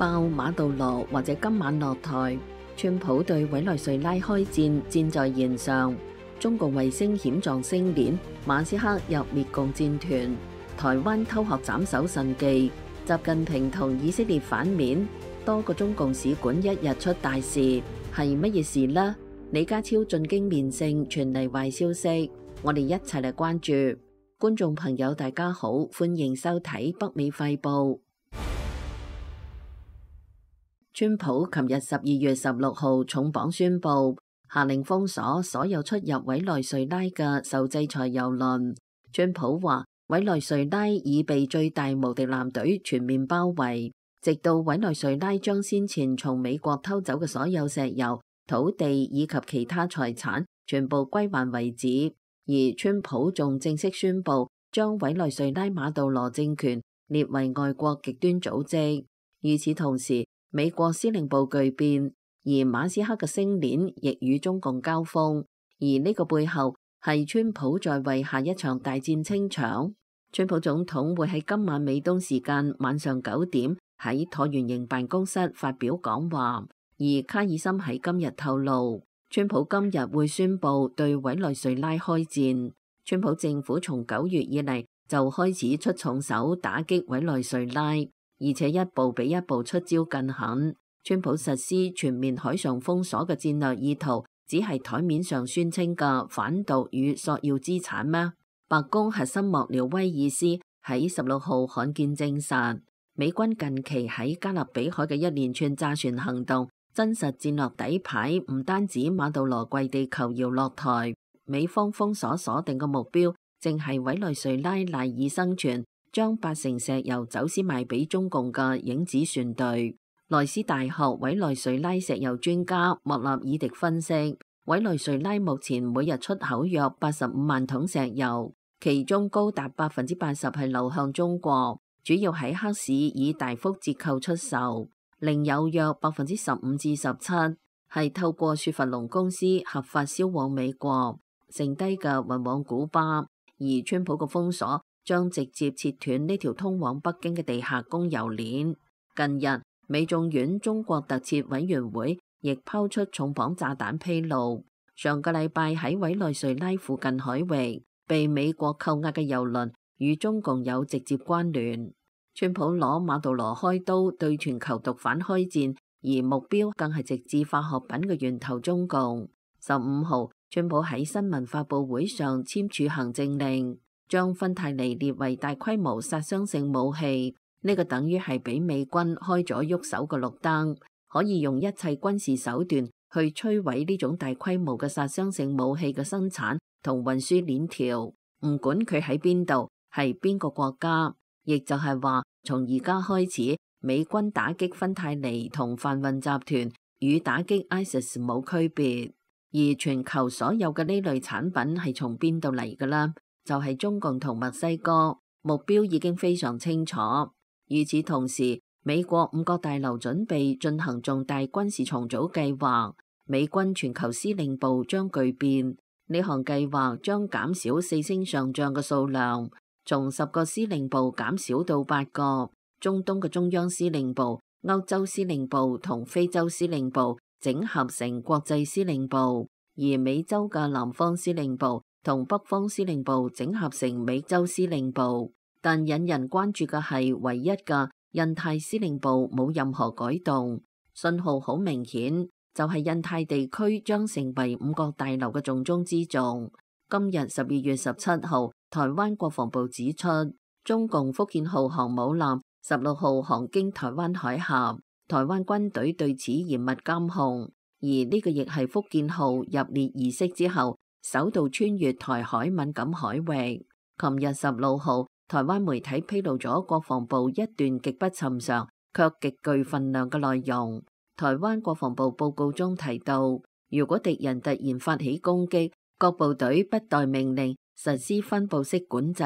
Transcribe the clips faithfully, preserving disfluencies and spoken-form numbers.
爆馬杜羅或者今晚落台，川普對委內瑞拉開戰，箭在弦上。中共衛星險狀星鏈，馬斯克入滅共戰團，台灣偷學斬首神技，習近平同以色列反面，多個中共使館一日出大事，係乜嘢事呢？李家超進京面聖傳嚟壞消息，我哋一齊嚟關注。觀眾朋友大家好，歡迎收睇北美快報。川普琴日十二月十六號重磅宣布，下令封鎖所有出入委內瑞拉嘅受制裁郵輪。川普話，委內瑞拉已被最大無敵艦隊全面包圍，直到委內瑞拉將先前從美國偷走嘅所有石油、土地以及其他財產全部歸還為止。而川普仲正式宣布，將委內瑞拉馬杜羅政權列為外國極端組織。與此同時，美國司令部巨變，而馬斯克嘅星鏈亦與中共交鋒，而呢個背後係川普在為下一場大戰清場。川普總統會喺今晚美東時間晚上九點喺橢圓形辦公室發表講話，而卡爾森喺今日透露，川普今日會宣布對委內瑞拉開戰。川普政府從九月以嚟就開始出重手打擊委內瑞拉，而且一步比一步出招更狠。川普實施全面海上封鎖嘅戰略意圖，只係台面上宣稱嘅反毒與索要資產咩？白宮核心幕僚威爾斯喺十六號罕見證實，美軍近期喺加勒比海嘅一連串炸船行動，真實戰略底牌唔單止馬杜羅跪地求饒落台，美方封鎖鎖定嘅目標，正係委內瑞拉賴以生存，將八成石油走私賣俾中共嘅影子船隊。萊斯大學委內瑞拉石油專家莫納爾迪分析，委內瑞拉目前每日出口約八十五萬桶石油，其中高達百分之八十係流向中國，主要喺黑市以大幅折扣出售，另有約百分之十五至十七係透過雪佛龍公司合法銷往美國，剩低嘅運往古巴。而川普嘅封鎖將直接切斷呢條通往北京嘅地下供油鏈。近日，美眾院中國特設委員會亦拋出重磅炸彈披露，上個禮拜喺委內瑞拉附近海域被美國扣押嘅油輪與中共有直接關聯。川普攞馬杜羅開刀對全球毒販開戰，而目標更係直至化學品嘅源頭中共。十五號，川普喺新聞發佈會上簽署行政令，將芬太尼列為大規模殺傷性武器。呢個等於係俾美軍開咗喐手嘅綠燈，可以用一切軍事手段去摧毀呢種大規模嘅殺傷性武器嘅生產同運輸鏈條，唔管佢喺邊度，係邊個國家。亦就係話，從而家開始，美軍打擊芬太尼同販運集團與打擊 ISIS 冇區別。而全球所有嘅呢類產品係從邊度嚟㗎啦？就係中共同墨西哥，目標已經非常清楚。與此同時，美國五角大樓準備進行重大軍事重組計劃，美軍全球司令部將巨變。呢項計劃將減少四星上將嘅數量，從十個司令部減少到八個。中東嘅中央司令部、歐洲司令部同非洲司令部整合成國際司令部，而美洲嘅南方司令部同北方司令部整合成美洲司令部。但引人關注嘅係，唯一嘅印太司令部冇任何改動，信號好明顯，就係印太地區將成為五角大樓嘅重中之重。今日十二月十七號，台灣國防部指出，中共福建號航母艦十六號航經台灣海峽，台灣軍隊對此嚴密監控，而呢個亦係福建號入列儀式之後首度穿越台海敏感海域。琴日十六號，台灣媒體披露咗國防部一段極不尋常卻極具分量嘅內容。台灣國防部報告中提到，如果敵人突然發起攻擊，各部隊不待命令，實施分布式管制，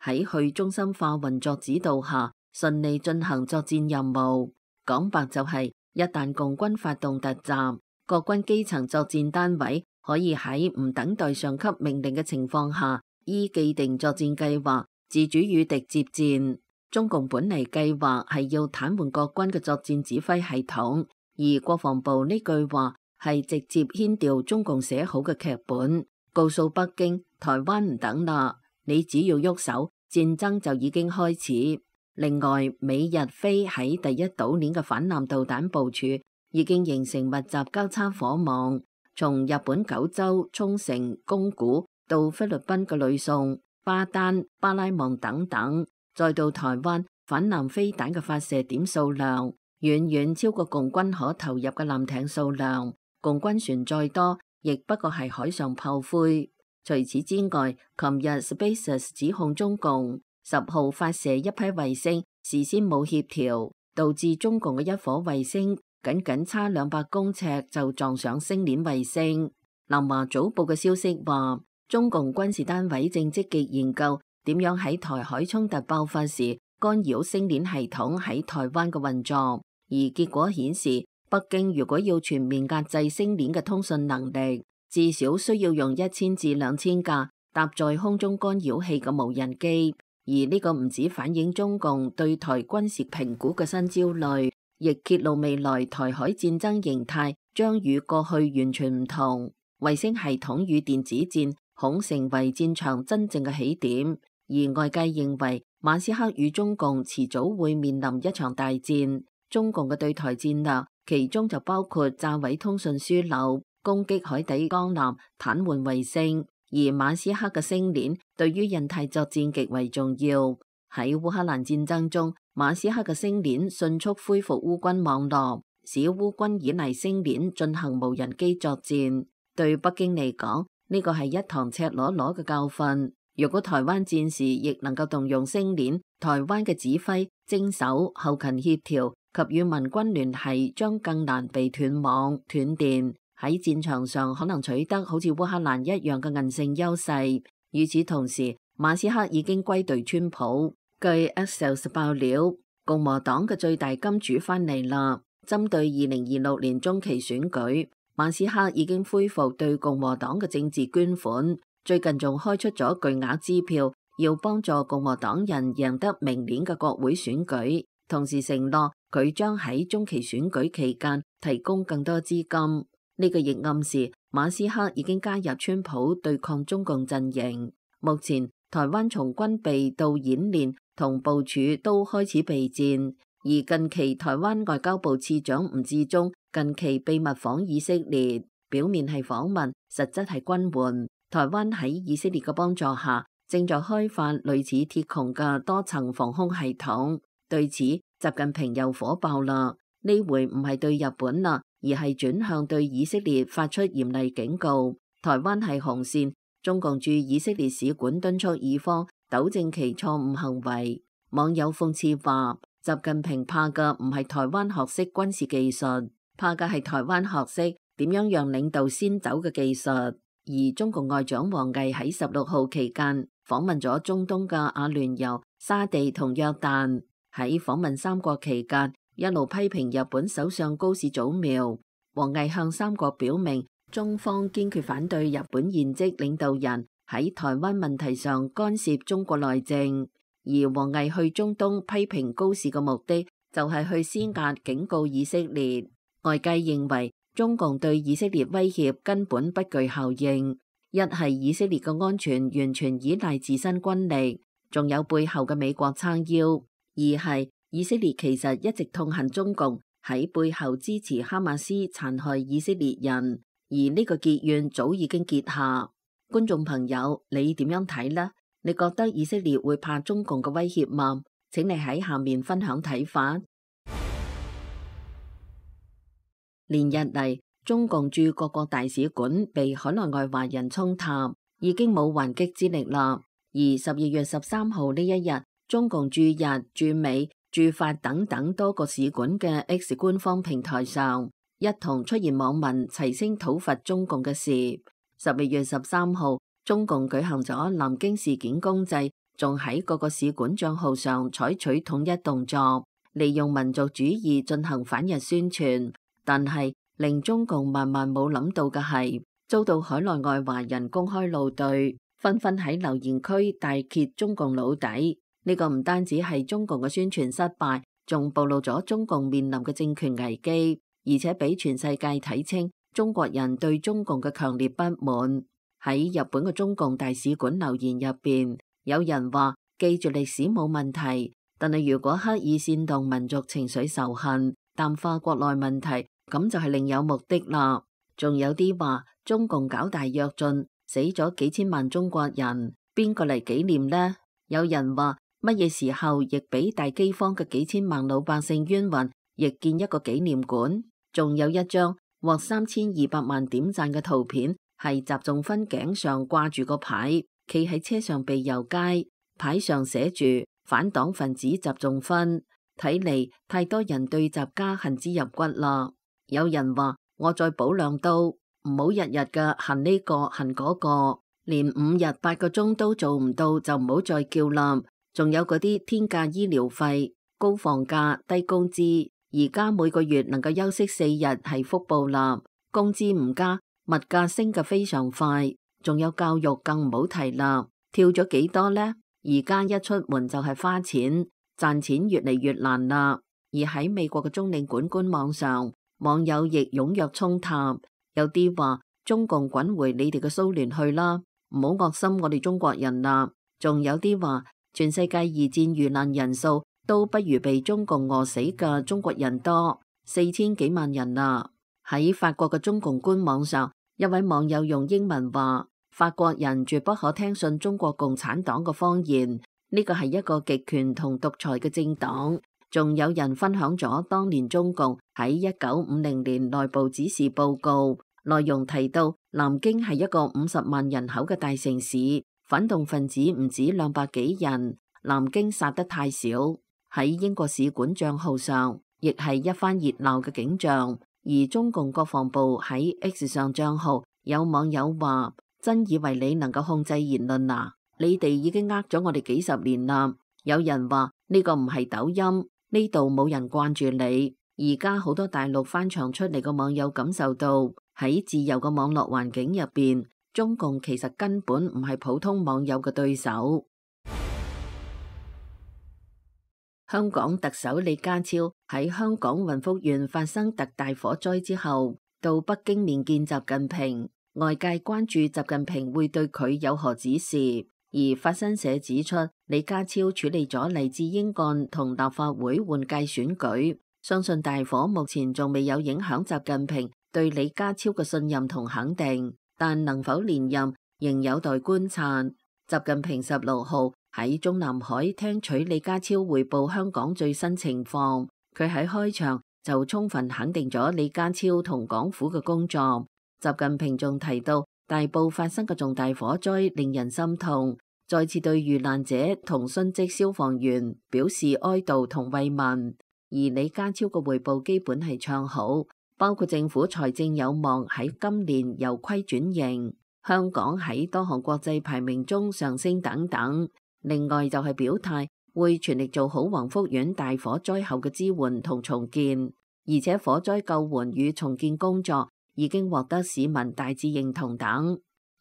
喺去中心化運作指導下，順利進行作戰任務。講白就係，一旦共軍發動突襲，各軍基層作戰單位可以喺唔等待上級命令嘅情況下，依既定作戰計劃自主與敵接戰。中共本嚟計劃係要癱瘓國軍嘅作戰指揮系統，而國防部呢句話係直接牽調中共寫好嘅劇本，告訴北京台灣唔等啦，你只要喐手，戰爭就已經開始。另外，美日菲喺第一島鏈嘅反艦導彈部署已經形成密集交叉火網，從日本九州、沖繩、宮古到菲律賓嘅呂宋、巴丹、巴拉望等等，再到台灣，反艦飛彈嘅發射點數量遠遠超過共軍可投入嘅艦艇數量，共軍船再多，亦不過係海上炮灰。除此之外，琴日 SpaceX 指控中共十號發射一批衛星，事先冇協調，導致中共嘅一顆衛星僅僅差兩百公尺就撞上星鏈衛星。南華早報嘅消息話，中共軍事單位正積極研究點樣喺台海衝突爆發時干擾星鏈系統喺台灣嘅運作，而結果顯示，北京如果要全面壓制星鏈嘅通訊能力，至少需要用一千至兩千架搭載空中干擾器嘅無人機。而呢個唔止反映中共對台軍事評估嘅新焦慮，亦揭露未來台海戰爭形態將與過去完全唔同。衛星系統與電子戰恐成為戰場真正嘅起點，而外界認為馬斯克與中共遲早會面臨一場大戰。中共嘅對台戰略，其中就包括炸毀通訊樞紐、攻擊海底鋼纜、癱瘓衛星。而馬斯克嘅星鏈對於印太作戰極為重要。喺烏克蘭戰爭中，馬斯克嘅星鏈迅速恢復烏軍網絡，使烏軍依賴星鏈進行無人機作戰。對北京嚟講，呢個係一堂赤裸裸嘅教訓。如果台灣戰時亦能夠動用星鏈，台灣嘅指揮、偵搜、後勤協調及與民軍聯繫將更難被斷網斷電。喺戰場上可能取得好似烏克蘭一樣嘅韌性優勢。與此同時，馬斯克已經歸隊川普。據 Axios 爆料，共和黨嘅最大金主翻嚟啦。針對二零二六年中期選舉，馬斯克已經恢復對共和黨嘅政治捐款，最近仲開出咗巨額支票，要幫助共和黨人贏得明年嘅國會選舉，同時承諾佢將喺中期選舉期間提供更多資金。呢個亦暗示馬斯克已經加入川普對抗中共陣營。目前台灣從軍備到演練同部署都開始備戰，而近期台灣外交部次長吳志忠近期秘密訪以色列，表面係訪問，實質係軍援。台灣喺以色列嘅幫助下，正在開發類似鐵穹嘅多層防空系統。對此，習近平又火爆啦，呢回唔係對日本啦，而係轉向對以色列發出嚴厲警告。台灣係紅線，中共駐以色列使館敦促以方糾正其錯誤行為。網友諷刺話，習近平怕嘅唔係台灣學識軍事技術，怕嘅係台灣學識點樣讓領導先走嘅技術。而中共外長王毅喺十六號期間訪問咗中東嘅阿聯酋、沙地同約旦。喺訪問三國期間，一路批評日本首相高市早苗。王毅向三國表明，中方堅決反對日本現職領導人喺台灣問題上干涉中國內政。而王毅去中東批評高市嘅目的，就係去施壓警告以色列。外界認為中共對以色列威脅根本不具效應，一係以色列嘅安全完全依賴自身軍力，仲有背後嘅美國撐腰；二係以色列其實一直痛恨中共喺背後支持哈馬斯殘害以色列人，而呢個結怨早已經結下。觀眾朋友，你點樣睇呢？你覺得以色列會怕中共嘅威脅嗎？請你喺下面分享睇法。連日嚟，中共駐各國大使館被海內外華人衝塔，已經冇還擊之力啦。而十二月十三號呢一日，中共駐日、駐美、駐法等等多個使館嘅 X 官方平台上，一同出現網民齊聲討伐中共嘅事。十二月十三號，中共舉行咗南京事件公祭，仲喺各個使館賬號上採取統一動作，利用民族主義進行反日宣傳。但係令中共萬萬冇諗到嘅係，遭到海內外華人公開怒對，紛紛喺留言區大揭中共老底。呢個唔單止係中共嘅宣傳失敗，仲暴露咗中共面臨嘅政權危機，而且俾全世界睇清中國人對中共嘅強烈不滿。喺日本嘅中共大使館留言入邊，有人話記住歷史冇問題，但係如果刻意煽動民族情緒仇恨，淡化國內問題，咁就係另有目的啦。仲有啲話中共搞大躍進，死咗幾千萬中國人，邊個嚟紀念呢？有人話乜嘢時候亦俾大饑荒嘅幾千萬老百姓冤魂，亦建一個紀念館。仲有一張獲三千二百萬點讚嘅圖片，係習仲勳頸上掛住個牌，企喺車上被遊街，牌上寫住反黨分子習仲勳。睇嚟太多人對習家恨之入骨啦。有人話我再補兩刀，唔好日日嘅恨呢個恨嗰個，連五日八個鐘都做唔到就唔好再叫啦。仲有嗰啲天價醫療費、高房價、低工資，而家每個月能夠休息四日係福報啦。工資唔加，物價升嘅非常快。仲有教育更唔好提啦，跳咗幾多呢？而家一出門就係花錢，賺錢越嚟越難啦。而喺美國嘅中領館官網上，網友亦踴躍衝塔，有啲話中共滾回你哋嘅蘇聯去啦，唔好惡心我哋中國人啦。仲有啲話全世界二戰遇難人數都不如被中共餓死嘅中國人多，四千幾萬人啦。喺法國嘅中共官網上，一位網友用英文話：法國人絕不可聽信中國共產黨嘅謊言，呢個係一個極權同獨裁嘅政黨。仲有人分享咗當年中共喺一九五零年內部指示報告，內容提到南京係一個五十萬人口嘅大城市，反動分子唔止兩百幾人，南京殺得太少。喺英國使館賬號上，亦係一番熱鬧嘅景象。而中共國防部喺 X 上賬號，有網友話：真以為你能夠控制言論啊？你哋已經呃咗我哋幾十年啦。有人話呢個唔係抖音，呢度冇人慣住你。而家好多大陸翻牆出嚟嘅網友感受到喺自由嘅網絡環境入邊，中共其實根本唔係普通網友嘅對手。香港特首李家超喺香港雲福縣發生特大火災之後，到北京面見習近平，外界關注習近平會對佢有何指示。而法新社指出，李家超處理咗黎智英案同立法會換屆選舉，相信大火目前仲未有影響習近平對李家超嘅信任同肯定，但能否連任仍有待觀察。習近平十六號喺中南海聽取李家超匯報香港最新情況，佢喺開場就充分肯定咗李家超同港府嘅工作。習近平仲提到，大埔發生嘅重大火災令人心痛，再次對遇難者同殉職消防員表示哀悼同慰問。而李家超嘅匯報基本係唱好，包括政府財政有望喺今年由虧轉盈，香港喺多項國際排名中上升等等。另外就係表態會全力做好宏福苑大火災後嘅支援同重建，而且火災救援與重建工作已經獲得市民大致認同等。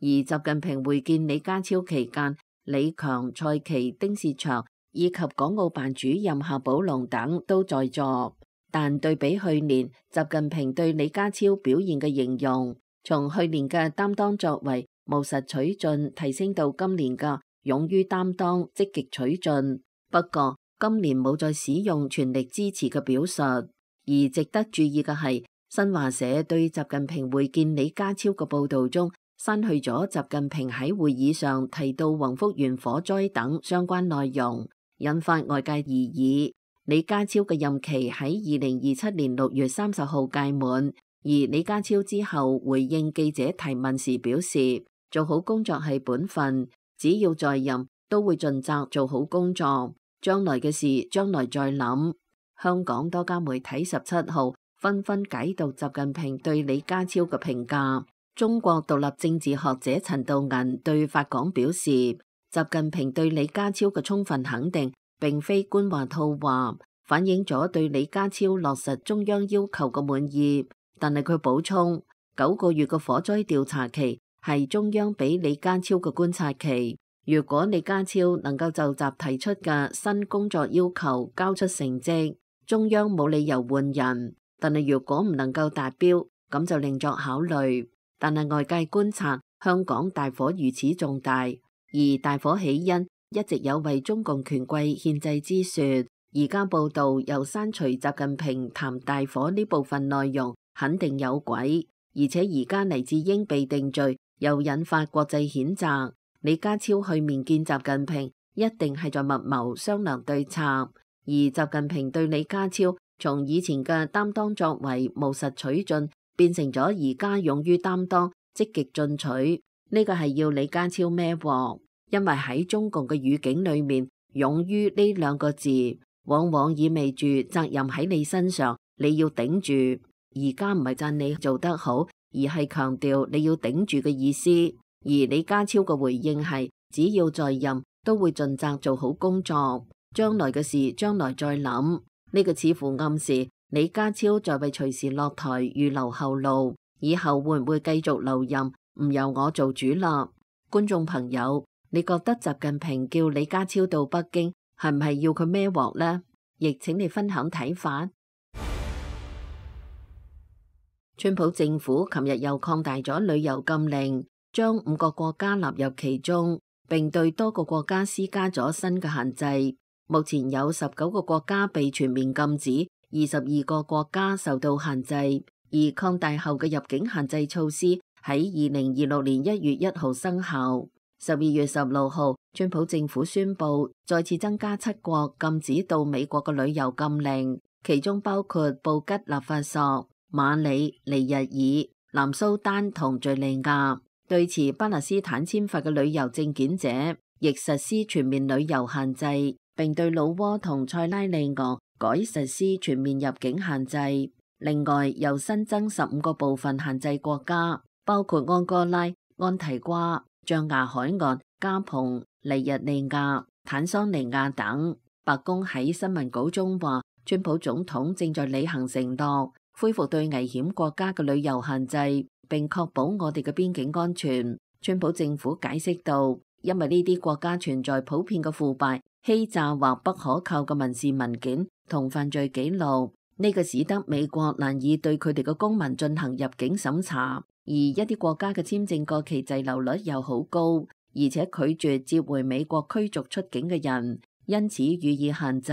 而習近平會見李家超期間，李強、蔡奇、丁薛祥以及港澳辦主任夏寶龍等都在座。但對比去年，習近平對李家超表現嘅形容，從去年嘅擔當作為、務實取進，提升到今年嘅勇於擔當、積極取進。不過今年冇再使用全力支持嘅表述。而值得注意嘅係，新華社對習近平會見李家超嘅報導中，刪去咗習近平喺會議上提到宏福園火災等相關內容，引發外界疑議。李家超嘅任期喺二零二七年六月三十號屆滿，而李家超之後回應記者提問時表示，做好工作係本分，只要在任都會盡責做好工作，將來嘅事將來再諗。香港多家媒體十七號紛紛解讀習近平對李家超嘅評價。中國獨立政治學者陳道銀對法廣表示，習近平對李家超嘅充分肯定並非官話套話，反映咗對李家超落實中央要求嘅滿意。但係佢補充，九個月嘅火災調查期係中央俾李家超嘅觀察期，如果李家超能夠就習提出嘅新工作要求交出成績，中央冇理由換人。但係如果唔能夠達標，咁就另作考慮。但係外界觀察，香港大火如此重大，而大火起因一直有為中共權貴獻祭之說。而家報道又刪除習近平談大火呢部分內容，肯定有鬼。而且而家黎智英被定罪，又引發國際譴責。李家超去面見習近平，一定係在密謀商量對策。而習近平對李家超從以前嘅擔當作為務實取進，變成咗而家勇於擔當、積極進取。呢個係要李家超孭鑊，因為喺中共嘅語境裏面，勇於呢兩個字往往意味住責任喺你身上，你要頂住。而家唔係讚你做得好，而係強調你要頂住嘅意思。而李家超嘅回應係，只要在任都會盡責做好工作，將來嘅事將來再諗。呢個似乎暗示李家超在為隨時落台預留後路，以後會唔會繼續留任，唔由我做主啦。觀眾朋友，你覺得習近平叫李家超到北京，係唔係要佢孭鑊呢？亦請你分享睇法。川普政府琴日又擴大咗旅遊禁令，將五個國家納入其中，並對多個國家施加咗新嘅限制。目前有十九個國家被全面禁止，二十二個國家受到限制。而擴大後嘅入境限制措施喺二零二六年一月一號生效。十二月十六號，川普政府宣布再次增加七國禁止到美國嘅旅遊禁令，其中包括布吉納法索、馬里、尼日爾、南蘇丹同敘利亞。對持巴勒斯坦簽發嘅旅遊證件者，亦實施全面旅遊限制，並對老撾同塞拉利昂改實施全面入境限制。另外，又新增十五個部分限制國家，包括安哥拉、安提瓜、象牙海岸、加蓬、尼日利亞、坦桑尼亞等。白宮喺新聞稿中話，川普總統正在履行承諾，恢復對危險國家嘅旅遊限制，並確保我哋嘅邊境安全。川普政府解釋道，因為呢啲國家存在普遍嘅腐敗、欺詐或不可靠嘅民事文件同犯罪記錄，呢個使得美國難以對佢哋嘅公民進行入境審查。而一啲國家嘅簽證過期滯留率又好高，而且拒絕接回美國驅逐出境嘅人，因此予以限制。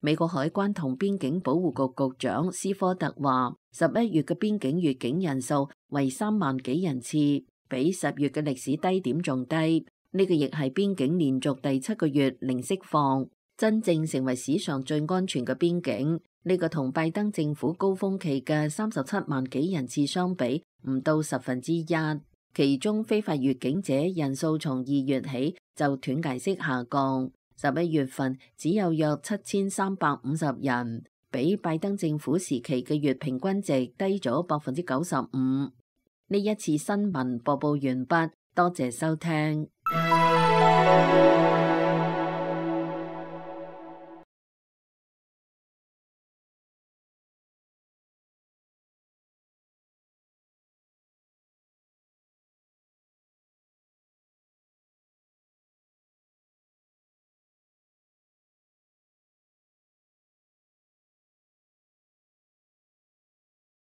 美國海關同邊境保護局局長斯科特話，十一月嘅邊境越境人數為三萬幾人次，比十月嘅歷史低點仲低。呢、這個亦係邊境連續第七個月零釋放，真正成為史上最安全嘅邊境。呢、這個同拜登政府高峰期嘅三十七萬幾人次相比，唔到十分之一。其中非法越境者人數從二月起就斷崖式下降。十一月份只有約七千三百五十人，比拜登政府時期嘅月平均值低咗百分之九十五。呢一次新聞播報完畢，多謝收聽。